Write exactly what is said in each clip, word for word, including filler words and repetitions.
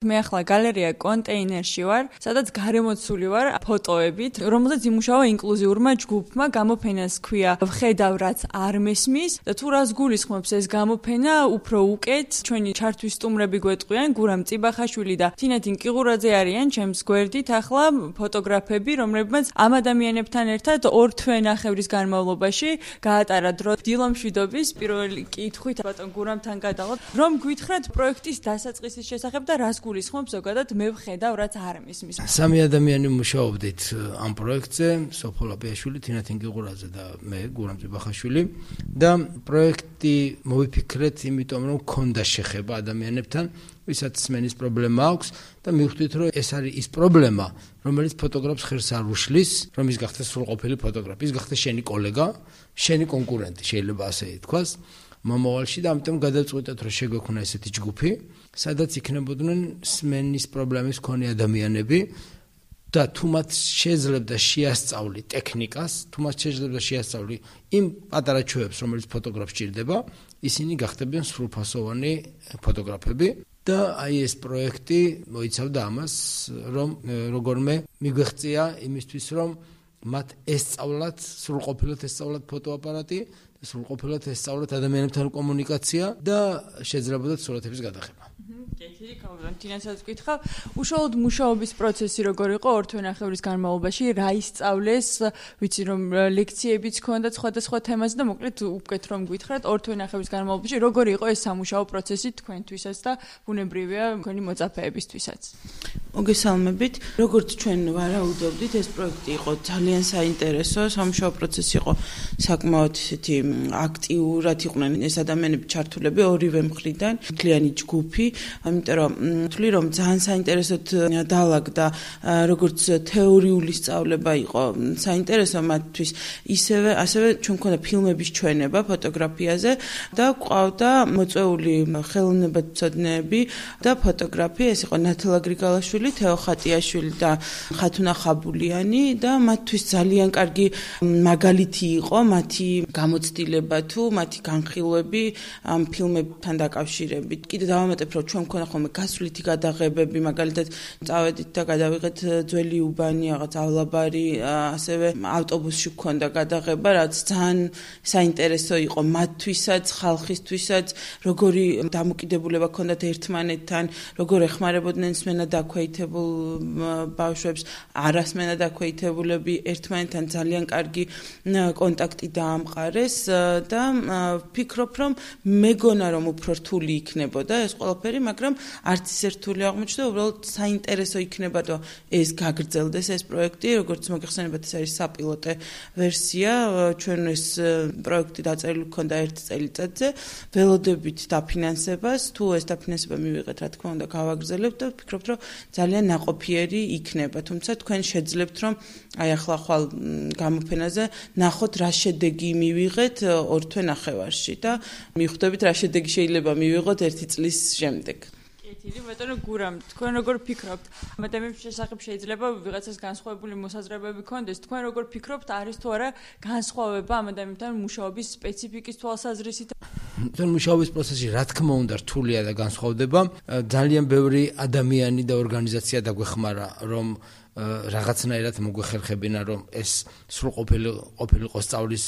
მე ახლა გალერეა კონტეინერში ვარ, სადაც გარემოცული ვარ ფოტოებით, რომელზეც იმუშავა ინკლუზიურმა ჯგუფმა, გამოფენას ქვია ვხედავ რაც არ მესმის და თუ რას გულისხმობს ეს გამოფენა, უფრო უკეთ ჩვენი ჩართვის სტუმრები გვეტყვიან, გურამ წიბახაშვილი და თინათინ კიღურაძე არიან ჩემს გვერდით ახლა ფოტოგრაფები, რომლებმაც ამ ადამიანებთან ერთად ორ თვე ნახევრის განმავლობაში გაატარა დრო დილომშვიდობის პირველი კითხვით ბატონ გურამთან გადავალ, რომ გვითხრათ პროექტის დასაწყისის შესახებ და რას გულისხმობს ზოგადად მე ვხედავ რაც არ მისმის. სამი ადამიანი მუშაობდით ამ პროექტზე, სოფო ლაპიაშვილი, თინათინ კიღურაძე და მე, გურამ წიბახაშვილი და პროექტი მოვიფიქრეთ, იმიტომ რომ ქონდა შეხება ადამიანებთან, ვისაც სმენის პრობლემა აქვს და მივხვდით, რომ ეს არის ის პრობლემა, რომელიც ფოტოგრაფს ხერს არ უშლის, რომ ის გახდეს სრულყოფილი ფოტოგრაფი, ის გახდეს შენი კოლეგა, შენი კონკურენტი, შეიძლება ასე ითქვას. მომავალში და ამიტომ გადავწყვიტეთ, რომ შეგვექונה ესეთი ჯგუფი, სადაც იქნებოდნენ სმენის პრობლემის მქონე ადამიანები და თუ მათ შეძლებდა შეასწავლი ტექნიკას, თუ მათ შეძლებდა შეასწავლი იმ პატარა ჩვევებს, რომელიც ფოტოგრაფს ჭირდება, ისინი გახდებიან სრულფასოვანი ფოტოგრაფები და აი ეს პროექტი მოიცავდა ამას, რომ როგორმე მიგვეღწია იმისთვის, რომ მათ ესწავლათ, სრულყოფილად ესწავლათ ფოტოაპარატი, სრულყოფილად ესწავლათ ადამიანებთან კომუნიკაცია და შეძლებოდათ სურათების გადაღება. კეთილი, კავრან თინასაც ვკითხავ, უშუალოდ მუშაობის პროცესი როგორ იყო ორ თვე ნახევრის განმავლობაში, რა ისწავლეს, ვიცი რომ ლექციებიც ქონდა სხვადასხვა თემაზე და მოკლედ უკეთ რომ გითხრათ ორ თვე ნახევრის განმავლობაში როგორი იყო ეს სამუშაო პროცესი თქვენთვისაც და ბუნებრივია თქვენი მოწაფეებისთვისაც. მოგესალმებით, როგორც ჩვენ ვარაუდობდით, ეს პროექტი იყო ძალიან საინტერესო, სამუშაო პროცესი იყო საკმაოდ ისეთი აქტიურად იყვნენ ეს ადამიანები ჩართულები ორივე მხრიდან, მთლიანი ჯგუფი, ამიტომ რომ ვთვლი რომ ძალიან საინტერესოდ დაალაგდა როგორც თეორიული სწავლება იყო საინტერესო მათთვის, ისევე ასევე ჩვენ მქონდა ფილმების ჩვენება ფოტოგრაფიაზე და ყავდა მოწვეული ხელოვნებაცოდნეები და ფოტოგრაფი, ეს იყო ნათალა გრიგალაშვილი, თეო ხატიაშვილი და ხათუნა ხაბულიანი და მათთვის ძალიან კარგი მაგალითი იყო მათი გამოცდილება თუ მათი განხილვები ამ ფილმებთან დაკავშირებით. კიდე დავამატებ, რომ ჩვენ მქონდა ხოლმე გასვლითი გადაღებები, მაგალითად წავედით და გადავიღეთ ძველი უბანი, რაღაც ავლაბარი, ასევე ავტობუსში მქონდა გადაღება, რაც ძალიან საინტერესო იყო მათთვისაც, ხალხისთვისაც, როგორი დამოკიდებულება ჰქონდათ ერთმანეთთან, როგორ ეხმარებოდნენ სმენა დაქვეითებულ ბავშვებს, არასმენა დაქვეითებულები ერთმანეთთან ძალიან კარგი კონტაქტი დაამყარეს და ვფიქრობ, რომ მეგონა რომ უფრო რთული იქნებოდა ეს ყველაფერი, მაგრამ არც ისე რთული აღმოჩნდა, უბრალოდ საინტერესო იქნება და ეს გაგრძელდეს ეს პროექტი, როგორც მოგეხსენებათ, ეს არის საპილოტე ვერსია, ჩვენ ეს პროექტი დაწერილი ჰქონდა ერთ წელიწადზე, ველოდებით დაფინანსებას, თუ ეს დაფინანსება მივიღეთ, რა თქმა უნდა, გავაგრძელებთ და ვფიქრობთ, რომ ძალიან ნაყოფიერი იქნება, თუმცა თქვენ შეძლებთ, რომ აი ახლა ხვალ გამოფენაზე ნახოთ რა შედეგი მივიღეთ ორ თვე ნახევარში და მიხვდებით რა შედეგი შეიძლება მივიღოთ ერთი წლის შემდეგ. კეთილი, ბატონო გურამ, თქვენ როგორ ფიქრობთ? ადამიანის შესახებ შეიძლება ვიღაცას განსხვავებული მოსაზრებები ქონდეს, თქვენ როგორ ფიქრობთ, არის თუ არა განსხვავება ამ ადამიანთან მუშაობის სპეციფიკის თვალსაზრისით? თან მუშაობის პროცესი რა თქმა უნდა რთულია და განსხვავდება. ძალიან ბევრი ადამიანი და ორგანიზაცია დაგვეხმარა, რომ რაღაცნაირად მოგვეხერხებინა, რომ ეს სრულყოფილი ყოფილიყო სწავლის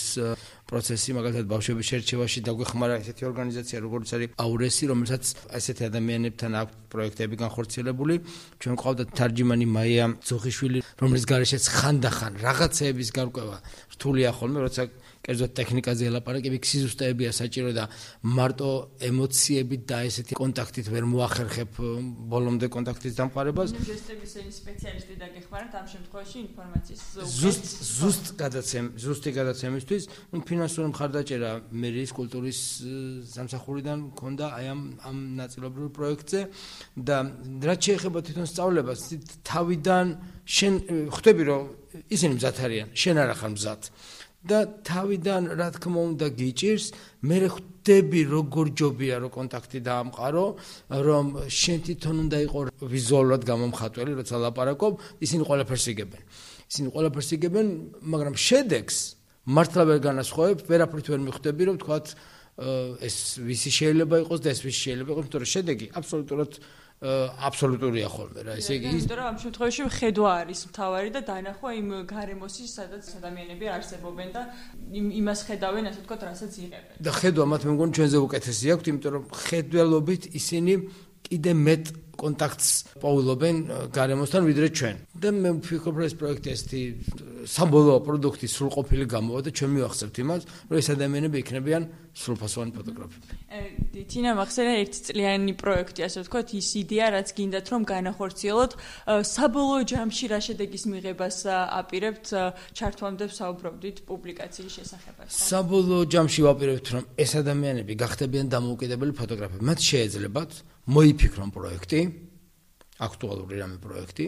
პროცესი, მაგალითად ბავშვების შერჩევაში დაგვეხმარა ესეთი ორგანიზაცია, როგორც არის აურესი, რომელსაც ესეთი ადამიანებთან აქვს პროექტები განხორციელებული. ჩვენ გვყავდა თარჯიმანი მაია ძოხიშვილი, რომელიც გარეშეც ხანდახან რაღაცეების გარკვევა რთულია ხოლმე, როცა კერძოდ ტექნიკაზე ელაპარაკები, სიზუსტეებია საჭირო და მარტო ემოციებით და ესეთი კონტაქტით ვერ მოახერხებ ბოლომდე კონტაქტის დამყარებას. ჟესტების სპეციალისტი დაგეხმარათ ამ შემთხვევაში ინფორმაციის ზუსტ ზუსტ გადაცემ ზუსტი გადაცემისთვის, ну ფინანსური მხარდაჭერა მერიის კულტურის სამსახურიდან მქონდა აი ამ ამ ნაწილობრივ პროექტზე და რაც შეეხება თვითონ სწავლებას, თავიდან შენ ხვდები რომ ისინი მზად არიან, შენ არ ახარ მზად. და თავიდან რა თქმა უნდა გიჭირს, მე ხვდები როგორ ჯობია რომ კონტაქტი დაამყარო, რომ შენ თვითონ უნდა იყოს ვიზუალურად გამომხატველი, როცა ლაპარაკობ, ისინი ყველაფერს იგებენ. ისინი ყველაფერს იგებენ, მაგრამ შედეგს მართლა ვერ განასხვავებ, ვერაფრით ვერ მიხვდები, რომ თქვათ ეს ვისი შეიძლება იყოს და ეს ვისი შეიძლება იყოს, იმიტომ რომ შედეგი აბსოლუტურად აბსოლუტურია ხოლმე რა. ესე იგი, იმიტომ რომ ამ შემთხვევაში ხედვა არის მთავარი და დანახვა იმ გარემოსის, სადაც ადამიანები არსებობენ და იმას ხედავენ, ასე ვთქვათ, რასაც იღებენ. და ხედვა მათ მე მგონი ჩვენზე უკეთესი აქვს, იმიტომ რომ ხედველობით ისინი კიდე მეტ კონტაქტს პოულობენ გარემოსთან ვიდრე ჩვენ. და მე ვფიქრობ, რომ ეს პროექტი ესეთი საბოლოო პროდუქტი სრულყოფილი გამოვა და ჩვენ მივახსენებთ იმას, რომ ეს ადამიანები იქნებიან სრულფასოვანი ფოტოგრაფები. თინა მახსენე ერთი წლიანი პროექტი, ასე ვთქვათ, ის იდეა, რაც გინდათ რომ განახორციელოთ, საბოლოო ჯამში რა შედეგის მიღებას აპირებთ, ჩართვამდე ვსაუბრობდით პუბლიკაციის შესახებაც. საბოლოო ჯამში ვაპირებთ, რომ ეს ადამიანები გახდებიან დამოუკიდებელი ფოტოგრაფები. მათ შეეძლებათ მოიფიქრონ პროექტი, აქტუალური რამე პროექტი,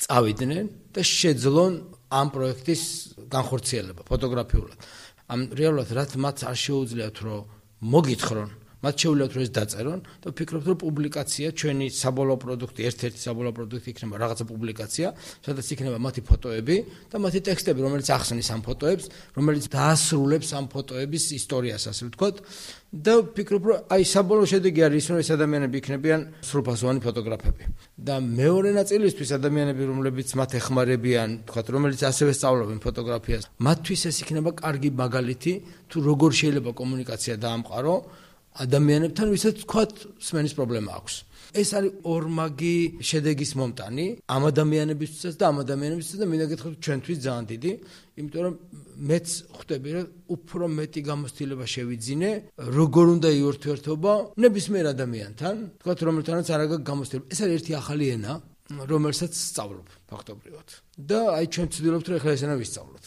წავიდნენ და შეძლონ ამ პროექტის განხორციელება ფოტოგრაფიულად. ამ რეალურად რაც მათ არ შეუძლიათ რომ მოგითხრონ, მათ შეუძლიათ რომ ეს დაწერონ და ვფიქრობთ რომ პუბლიკაცია ჩვენი საბოლოო პროდუქტი, ერთ-ერთი საბოლოო პროდუქტი იქნება რაღაცა პუბლიკაცია, სადაც იქნება მათი ფოტოები და მათი ტექსტები, რომელიც ახსნის ამ ფოტოებს, რომელიც დაასრულებს ამ ფოტოების ისტორიას, ასე ვთქვათ. და ვფიქრობ, რომ აი საბოლოო შედეგი არის ის, რომ ეს ადამიანები იქნებიან სრულფასოვანი ფოტოგრაფები. და მეორე ნაწილისთვის ადამიანები, რომლებიც მათ ეხმარებიან, ვთქვათ, რომელიც ასევე სწავლობენ ფოტოგრაფიას, მათთვის ეს იქნება კარგი მაგალითი, თუ როგორ შეიძლება კომუნიკაცია დაამყარო ადამიანებთან, ვისაც ვთქვათ, სმენის პრობლემა აქვს. ეს არის ორმაგი შედეგის მომტანი ამ ადამიანებისთვისაც და ამ ადამიანებისთვისაც და მინდა გითხრათ ჩვენთვის ძალიან დიდი, იმიტომ რომ მეც ხვდები რომ უფრო მეტი გამოცდილება შევიძინე, როგორ უნდა იურთიერთობა ნებისმიერ ადამიანთან, ვთქვათ, რომელთანაც არ აქვს გამოცდილება. ეს არის ერთი ახალი ენა, რომელსაც სწავლობ ფაქტობრივად. და აი ჩვენ ვცდილობთ რომ ახლა ეს ენა ვისწავლოთ.